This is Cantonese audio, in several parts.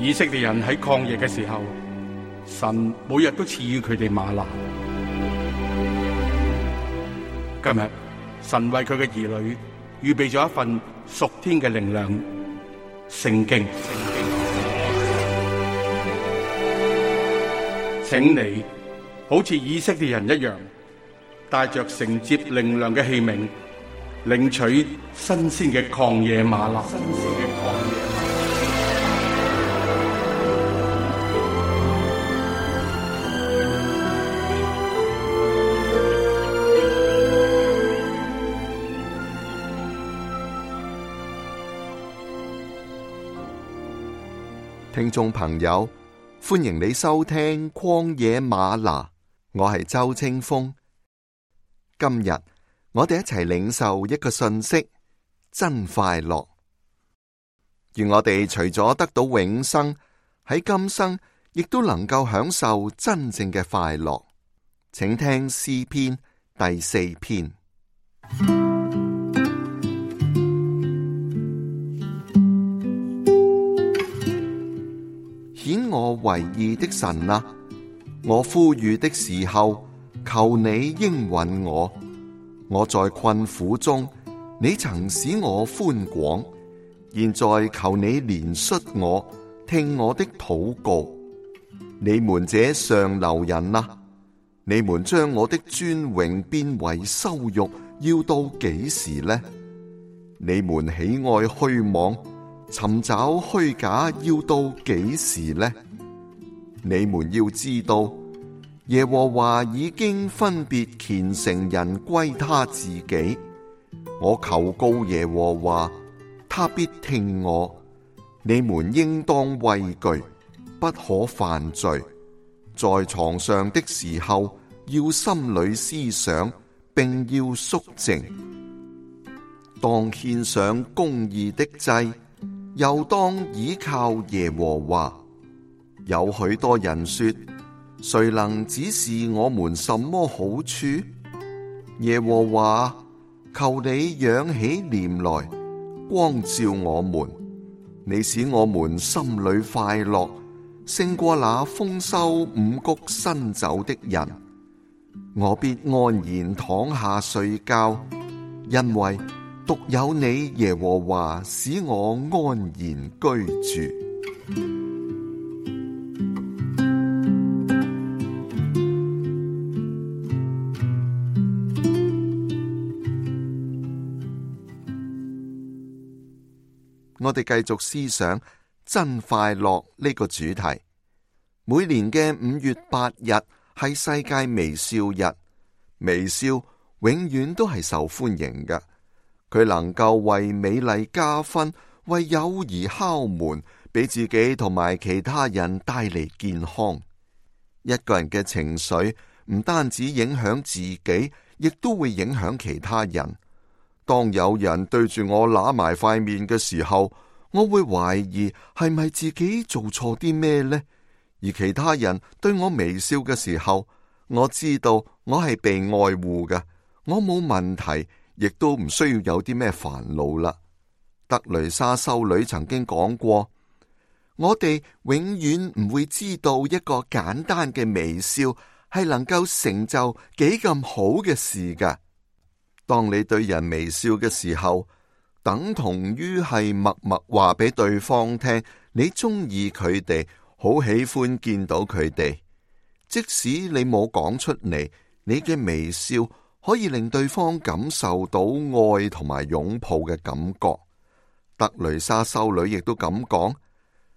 以色列人喺曠野嘅時候，神每日都賜予佢哋嗎哪。今日神為佢嘅兒女預備咗一份屬天嘅靈糧——聖經。請你好似以色列人一樣，帶着承接靈糧嘅器皿，領取新鮮嘅曠野嗎哪。聽眾朋友，歡迎你收聽曠野嗎哪，我係周清風。今日我哋一齊領受一個訊息，真快樂。願我哋除咗得到永生，喺今生亦都能夠享受真正嘅快樂。請聽詩篇第4篇。顯我為義的神啊，我呼籲的時候，求你應允我。我在困苦中，你曾使我寬廣，現在求你憐恤我，聽我的禱告。你們這上流人啊，你們將我的尊榮變為羞辱，要到幾時呢？你們喜愛虛妄，尋找虛假，要到幾時呢？你們要知道，耶和華已經分別虔誠人歸他自己。我求告耶和華，他必聽我。你們應當畏懼，不可犯罪。在床上的時候，要心裏思想，並要肅靜。當獻上公義的祭，又當倚靠耶和華。有許多人說，誰能指示我們什麼好處？耶和華，求你仰起臉來，光照我們。你使我們心裏快樂，勝過那豐收五穀新酒的人。我必安然躺下睡覺，因為獨有你耶和華使我安然居住。我哋繼續思想真快樂呢個主題。每年嘅5月8日係世界微笑日，微笑永遠都係受歡迎嘅。佢能夠為美麗加分，為友誼敲門，俾自己同埋其他人帶嚟健康。一個人嘅情緒唔單止影響自己，亦都會影響其他人。當有人對住我揦埋塊面嘅時候，我會懷疑係咪自己做錯啲咩呢？而其他人對我微笑嘅時候，我知道我係被愛護嘅，我冇問題，亦都唔需要有啲咩煩惱啦。德雷莎修女曾經講過，我哋永遠唔會知道一個簡單嘅微笑係能夠成就幾咁好嘅事㗎。當你對人微笑嘅時候，等同於係默默話俾對方聽，你中意佢哋，好喜歡見到佢哋。即使你冇講出嚟，你嘅微笑可以令對方感受到愛同埋擁抱嘅感覺。德雷莎修女亦都咁講，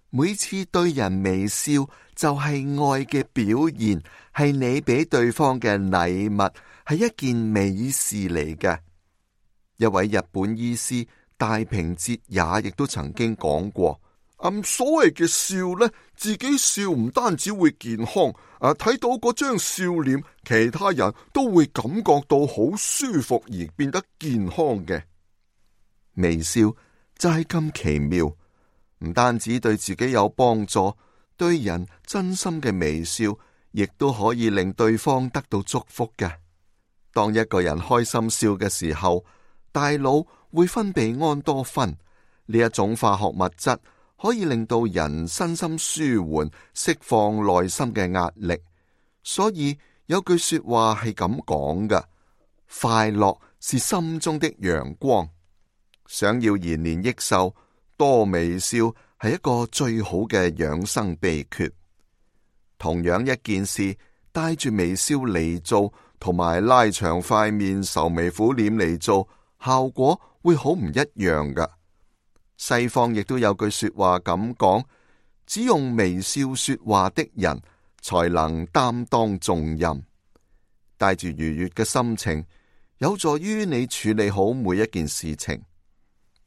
每次對人微笑就係愛嘅表現，係你俾對方嘅禮物，係一件美事嚟嘅。一位日本醫師大平哲也亦都曾經講過，所謂嘅笑呢，自己笑唔單止會健康，睇到嗰張笑臉，其他人都會感覺到好舒服而變得健康嘅。微笑就係咁奇妙，唔單止對自己有幫助，對人真心嘅微笑，亦都可以令對方得到祝福嘅。當一個人開心笑嘅時候，大腦會分泌胺多酚，呢一種化學物質可以令到人身心舒緩，釋放內心嘅壓力。所以有句說話係咁講㗎：快樂是心中的陽光。想要延年益壽，多微笑係一個最好嘅養生秘訣。同樣一件事，帶住微笑嚟做，同埋拉長塊面愁眉苦臉嚟做，效果會好唔一樣㗎。西方亦都有句說話咁講：只用微笑說話的人，才能擔當重任。帶住愉悅嘅心情，有助於你處理好每一件事情。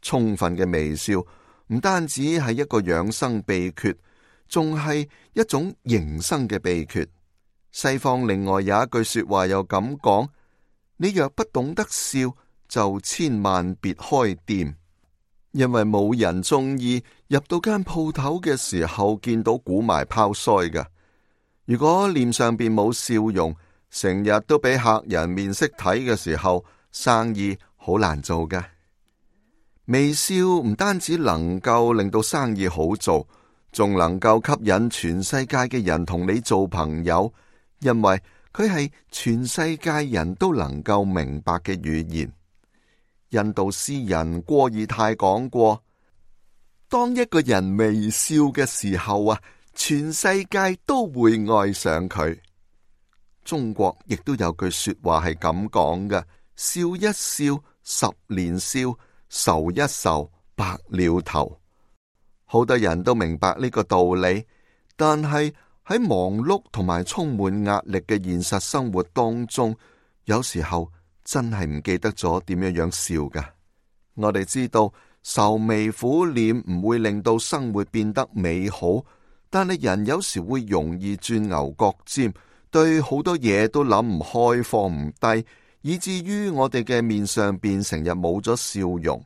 充分嘅微笑唔單止係一個養生秘訣，仲係一種營生嘅秘訣。西方另外有一句說話又咁講：你若不懂得笑，就千萬別開店，因為冇人中意入到間鋪頭嘅時候見到鼓埋泡腮㗎。如果臉上邊冇笑容，成日都俾客人面色睇嘅時候，生意好難做㗎。微笑唔單止能夠令到生意好做，仲能夠吸引全世界嘅人同你做朋友，因為佢係全世界人都能夠明白嘅語言。印度詩人戈爾泰講過：當一個人微笑嘅時候啊，全世界都會愛上佢。中國亦都有句說話係咁講嘅：笑一笑，十年少，愁一愁，白了頭。好多人都明白呢個道理，但係喺忙碌同埋充滿壓力嘅現實生活當中，有時候真係唔記得咗點樣笑噶。我哋知道愁眉苦臉唔會令到生活變得美好，但係人有時會容易轉牛角尖，對好多嘢都諗唔開，放唔低，以至於我哋嘅面上邊成日冇咗笑容。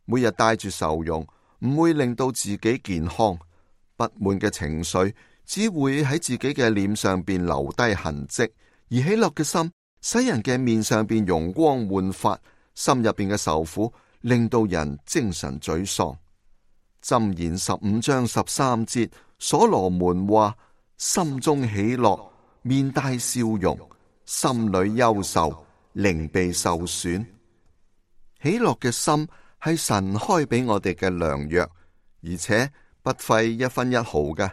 每日帶住愁容，唔會令到自己健康。不滿嘅情緒只會喺自己嘅臉上邊留低痕跡，而喜樂嘅心使人嘅面上邊容光煥發，心入邊嘅愁苦令到人精神沮喪。箴言15章13節，所羅門話：心中喜樂，面帶笑容；心裏憂愁，靈被受損。喜樂嘅心係神開俾我哋嘅良藥，而且不費一分一毫嘅。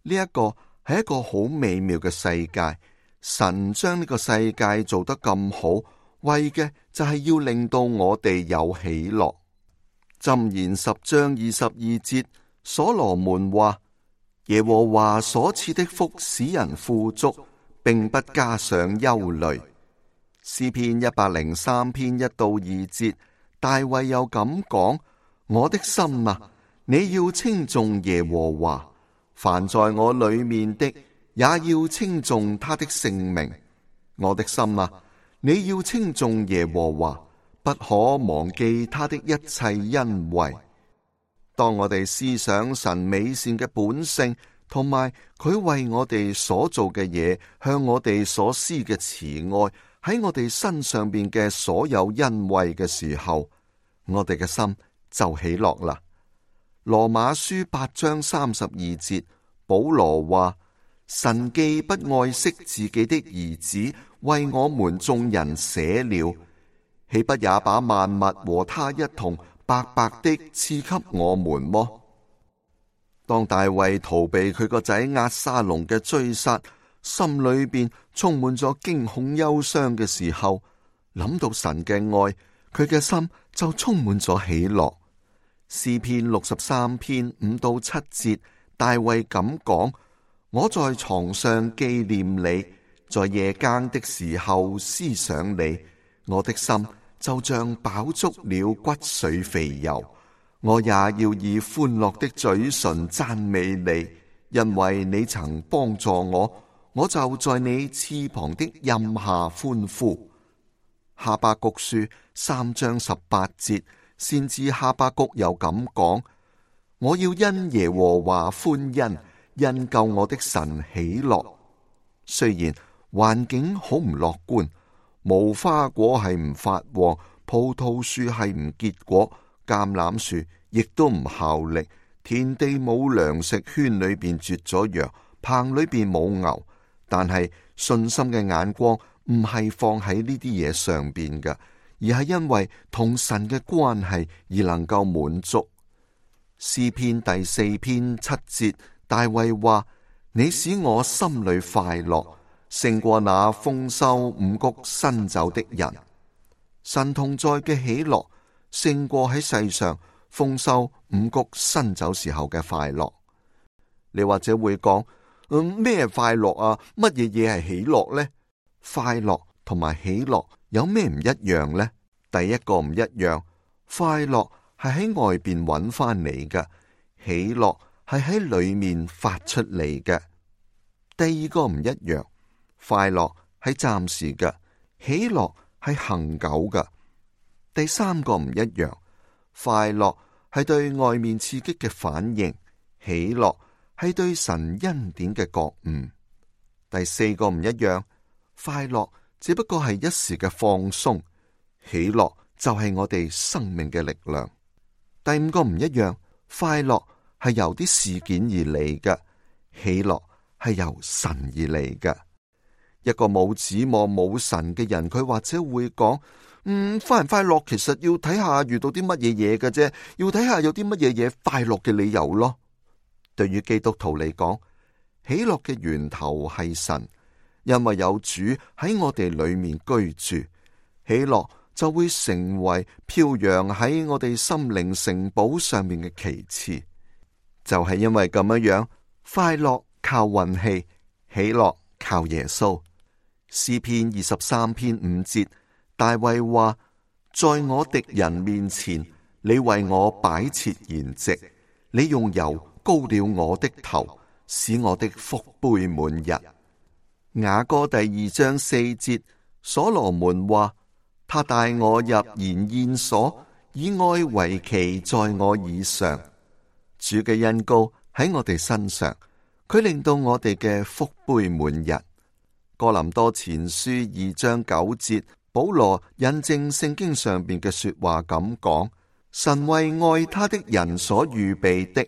呢一個係一個好美妙嘅世界，神將呢個世界做得咁好，為嘅就係要令到我哋有喜樂。箴言10章22節，所羅門話：耶和華所賜的福使人富足，並不加上憂慮。詩篇103篇1到2節，大衛又咁講：我的心啊，你要稱頌耶和華，凡在我裏面的也要稱頌他的聖名。我的心啊，你要稱頌耶和華，不可忘記他的一切恩惠。當我哋思想神美善嘅本性，同埋佢為我哋所做嘅嘢，向我哋所施嘅慈愛，喺我哋身上邊嘅所有恩惠嘅時候，我哋嘅心就喜樂啦。羅馬書8章32節，保羅話：神既不愛惜自己的兒子，為我們眾人捨了，豈不也把萬物和他一同白白的賜給我們麼？當大衛逃避佢個仔押沙龍嘅追殺，心裏邊充滿咗驚恐憂傷嘅時候，諗到神嘅愛，佢嘅心就充滿咗喜樂。詩篇63篇5到7節，大衛咁講：我在床上紀念你，在夜更的時候思想你，我的心就像飽足了骨髓肥油，我也要以歡樂的嘴唇讚美你，因為你曾幫助我，我就在你翅膀的蔭下歡呼。哈巴谷書3章18節，先知哈巴谷又咁講：我要因耶和華歡欣，因救我的神喜樂。雖然環境好唔樂觀，無花果係唔發旺，葡萄樹係唔結果，橄欖樹亦都唔效力，田地冇糧食，圈裏邊絕咗羊，棚裏邊冇牛。但係信心嘅眼光唔係放喺呢啲嘢上邊嘅，而係因為同神嘅關係而能夠滿足。詩篇第4篇7節，大衛話：你使我心裏快樂，勝過那豐收五穀新酒的人。神同在嘅喜樂，勝過喺世上豐收五穀新酒時候嘅快樂。你或者會講：咩快樂啊？乜嘢嘢係喜樂呢？快樂同埋喜樂有咩唔一樣呢？第一個唔一樣，快樂係喺外邊揾翻嚟嘅，喜樂係喺裏面發出嚟嘅。第二個唔一樣，快樂係暫時嘅，喜樂係恆久嘅。第三個唔一樣，快樂係對外面刺激嘅反應，喜樂係對神恩典嘅覺悟。第四個唔一樣，快樂只不過係一時嘅放鬆，喜樂就係我哋生命嘅力量。第五個唔一樣，快樂係由啲事件而嚟嘅，喜樂係由神而嚟嘅。一個冇指望冇神嘅人，佢或者會講：快唔快樂其實要睇下遇到啲乜嘢嘢嘅啫，要睇下有啲乜嘢嘢快樂嘅理由咯。對於基督徒嚟講，喜樂嘅源頭係神，因為有主喺我哋裏面居住，喜樂就會成為飄揚喺我哋心靈城堡上面嘅旗幟。就係因為咁樣，快樂靠運氣，喜樂靠耶穌。詩篇23篇5節，大衛話：在我敵人面前，你為我擺設筵席，你用油膏了我的頭，使我的福杯滿溢。雅歌第2章4節，所羅門話：他帶我入筵宴所，以愛為旗在我以上。主嘅恩膏喺我哋身上，佢令到我哋嘅福杯滿溢。哥林多前書2章9節，保羅引證聖經上邊嘅說話咁講：神為愛他的人所預備的，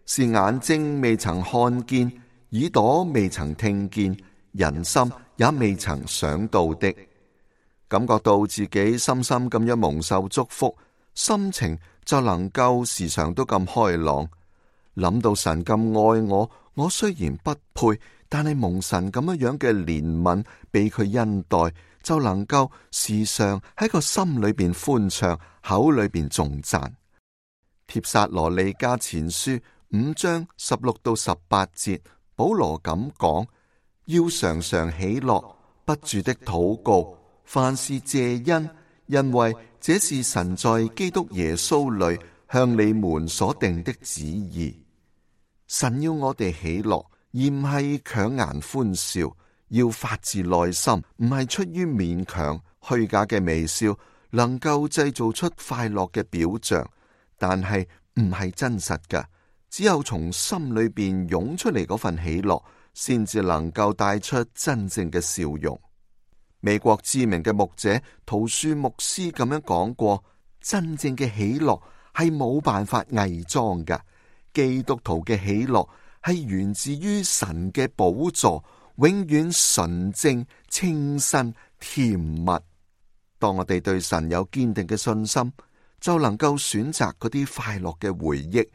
是眼睛未曾看見，耳朵未曾聽見，人心也未曾想到的。感覺到自己深深咁樣蒙受祝福，心情就能夠時常都咁開朗。諗到神咁愛我，我雖然不配，但係蒙神咁樣嘅憐憫，被佢恩待，就能夠時常喺個心裏邊歡暢，口裏邊頌讚。帖撒羅尼迦前書5章16到18節，保羅咁講：要常常喜樂，不住的禱告，凡事謝恩，因為這是神在基督耶穌裏向你們所定的旨意。神要我哋喜樂，而唔係強顏歡笑，要發自內心，唔係出於勉強。虛假嘅微笑能夠製造出快樂嘅表象，但係唔係真實㗎。只有從心裏邊湧出嚟嗰份喜樂，先至能夠帶出真正嘅笑容。美國知名嘅牧者陶恕牧師咁樣講過：真正嘅喜樂係冇辦法偽裝㗎。基督徒嘅喜樂係源自於神嘅寶座，永遠純正、清新、甜蜜。當我哋對神有堅定嘅信心，就能夠選擇嗰啲快樂嘅回憶，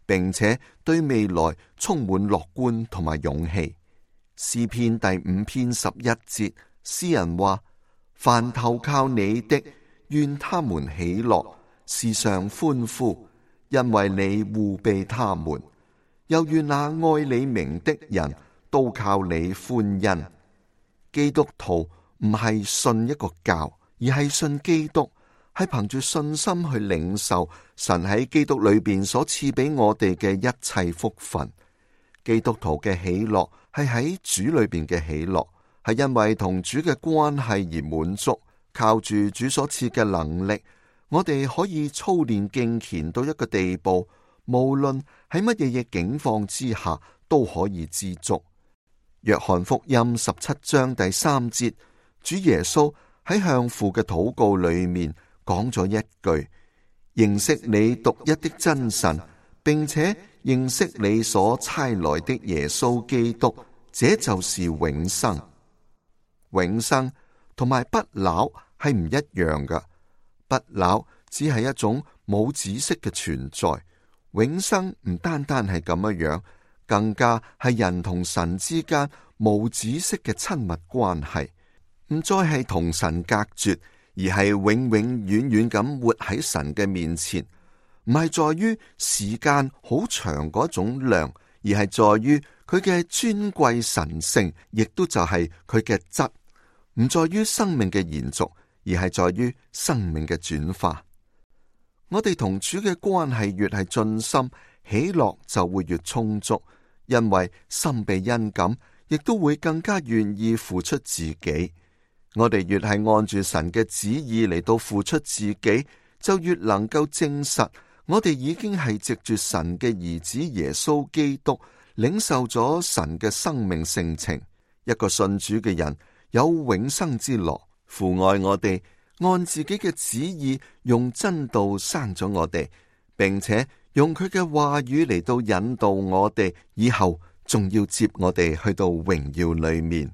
並且對未來充滿樂觀同埋勇氣。詩篇第5篇11節，詩人話：凡投靠你的，願他們喜樂，時常歡呼，因為你護庇他們。又願那愛你名的人都靠你歡欣。基督徒唔係信一個教，而係信基督，係憑住信心去領受神喺基督裏邊所賜俾我哋嘅一切福分。基督徒嘅喜樂係喺主裏邊嘅喜樂，係因為同主嘅關係而滿足。靠住主所賜嘅能力，我哋可以操練敬虔到一個地步，無論喺乜嘢境況之下都可以知足。約翰福音17章第3節，主耶穌喺向父嘅禱告裏面講咗一句：認識你獨一的真神，並且認識你所差來的耶穌基督，這就是永生。永生同埋不朽係唔一樣噶，不朽只係一種冇止息嘅存在，永生唔單單係咁樣，更加係人同神之間無止息嘅親密關係，唔再係同神隔絕，而係永永遠遠咁活喺神嘅面前。唔係在於時間好長嗰種量，而係在於佢嘅尊貴神聖，亦都就係佢嘅質。唔在於生命嘅延續，而係在於生命嘅轉化。我哋同主嘅關係越係盡心，喜樂就會越充足，因為心被恩感，亦都會更加願意付出自己。我哋越係按住神嘅旨意嚟到付出自己，就越能夠證實我哋已經係藉住神嘅兒子耶穌基督，領受咗神嘅生命性情。一個信主嘅人有永生之樂，父愛我哋，按自己嘅旨意用真道生咗我哋，並且用佢嘅話語嚟到引導我哋，以後仲要接我哋去到榮耀裏面。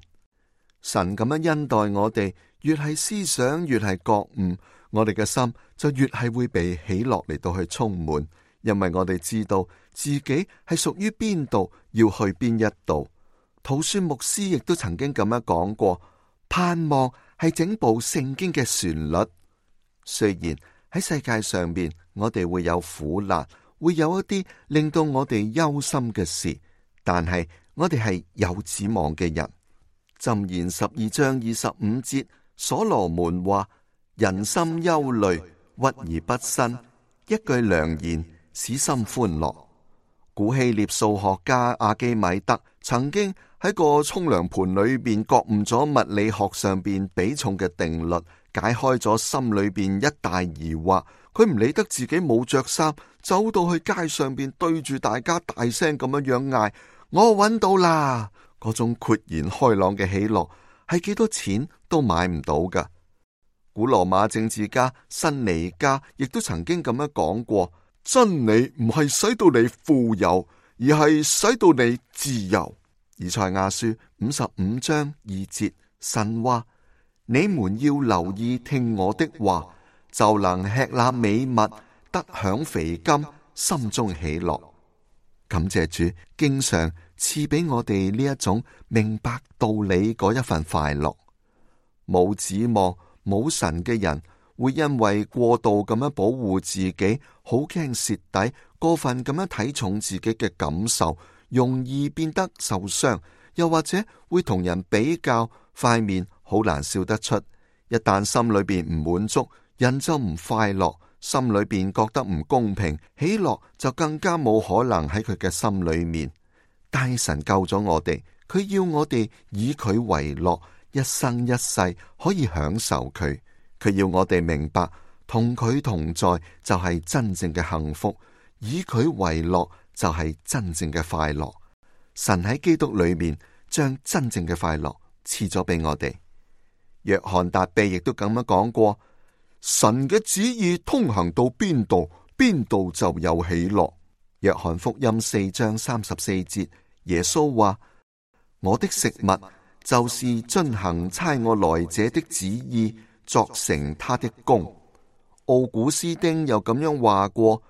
神咁樣恩待我哋，越係思想越係覺悟，我哋嘅心就越係會被喜樂嚟到去充滿，因為我哋知道自己係屬於邊度，要去邊一度。陶恕牧師亦都曾經咁樣講過，盼望係整部聖經嘅旋律。雖然喺世界上面我哋會有苦難，會有一啲令到我哋憂心嘅事，但係我哋係有指望嘅人。箴言12章25節，所羅門話：人心憂慮，鬱而不新，一句良言使心歡樂。古希臘數學家阿基米德曾經喺個沖涼盆裏邊覺悟咗物理學上邊比重嘅定律，解開咗心裏邊一大疑惑。佢唔理得自己冇着衫，走到去街上邊對住大家大聲咁樣嗌：我揾到啦！嗰種豁然開朗嘅喜樂係幾多錢都買唔到噶。古羅馬政治家辛尼加亦都曾經咁樣講過：真理唔係使到你富有，而係使到你自由。以賽亞書55章2節，神話：你們要留意聽我的話，就能吃那美物，得享肥甘，心中喜樂。感謝主，經常賜俾我哋呢一種明白道理嗰一份快樂。冇指望、冇神嘅人，會因為過度咁樣保護自己，好驚蝕底，過分咁樣睇重自己嘅感受，容易變得受傷，又或者會同人比較，塊面好難笑得出。一旦心裏邊唔滿足，人就唔快樂，心裏邊覺得唔公平，喜樂就更加冇可能喺佢嘅心裏面。但神救咗我哋，佢要我哋以佢為樂，一生一世可以享受佢。佢要我哋明白，同佢同在就係真正嘅幸福，以佢為樂就係真正嘅快樂。神喺基督裏面將真正嘅快樂賜咗俾我哋。約翰達比亦都咁樣講過：神嘅旨意通行到邊度，邊度就有喜樂。約翰福音4章34節，耶穌話：我的食物就是遵行差我來者的旨意，作成他的功。奧古斯丁又咁樣話過：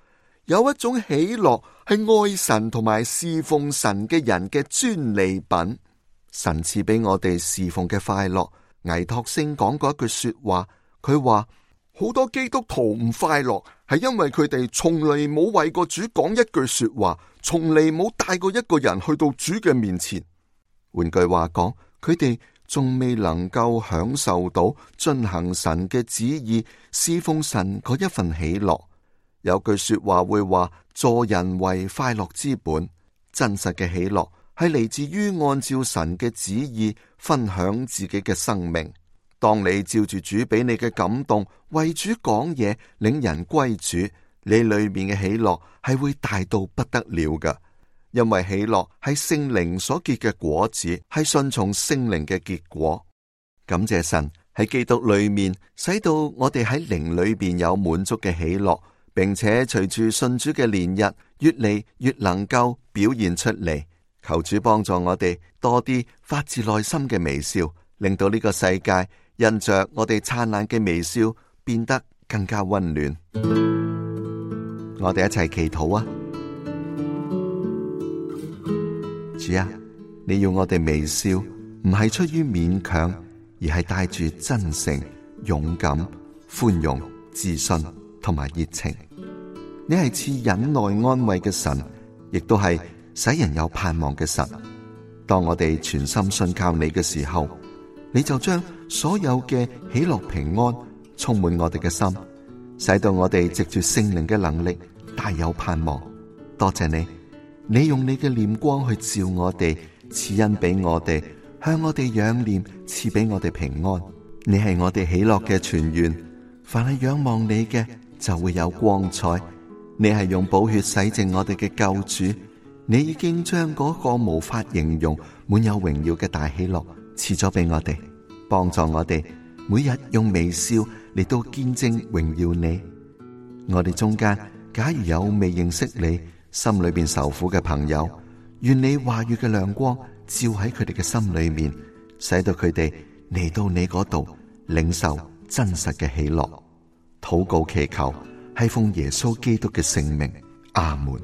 有一種喜樂係愛神同埋侍奉神嘅人嘅專利品。神賜俾我哋侍奉嘅快樂。倪柝聲講過一句說話，佢話：好多基督徒唔快樂，係因為佢哋從嚟冇為個主講一句說話，從嚟冇帶過一個人去到主嘅面前。換句話講，佢哋仲未能夠享受到遵行神嘅旨意，侍奉神嗰一份喜樂。有句說話會話：助人為快樂之本。真實嘅喜樂係嚟自於按照神嘅旨意分享自己嘅生命。當你照住主俾你嘅感動，為主講嘢，領人歸主，你裏面嘅喜樂係會大到不得了噶。因為喜樂係聖靈所結嘅果子，係順從聖靈嘅結果。感謝神喺基督裏面，使到我哋喺靈裏邊有滿足嘅喜樂，並且隨住信主嘅年日，越嚟越能夠表現出嚟。求主幫助我哋多啲發自內心嘅微笑，令到呢個世界因着我哋燦爛嘅微笑變得更加溫暖。我哋一齊祈禱啊！主啊，你要我哋微笑，唔係出於勉強，而係帶住真誠、勇敢、寬容、自信同埋熱情。你係賜忍耐安慰嘅神，亦都係使人有盼望嘅神。當我哋全心信靠你嘅時候，你就將所有嘅喜樂平安充滿我哋嘅心，使到我哋藉住聖靈嘅能力大有盼望。多謝你，你用你嘅臉光去照我哋，賜恩俾我哋，向我哋仰臉，賜俾我哋平安。你係我哋喜樂嘅泉源，凡係仰望你嘅就會有光彩。你係用寶血洗淨我哋嘅救主，你已經將嗰個無法形容滿有榮耀嘅大喜樂賜咗俾我哋，幫助我哋每日用微笑嚟到見證榮耀你。我哋中間假如有未認識你、心裏邊受苦嘅朋友，願你話語嘅亮光照喺佢哋嘅心裏面，使到佢哋嚟到你嗰度領受真實嘅喜樂。禱告祈求係奉耶穌基督嘅聖名，阿門。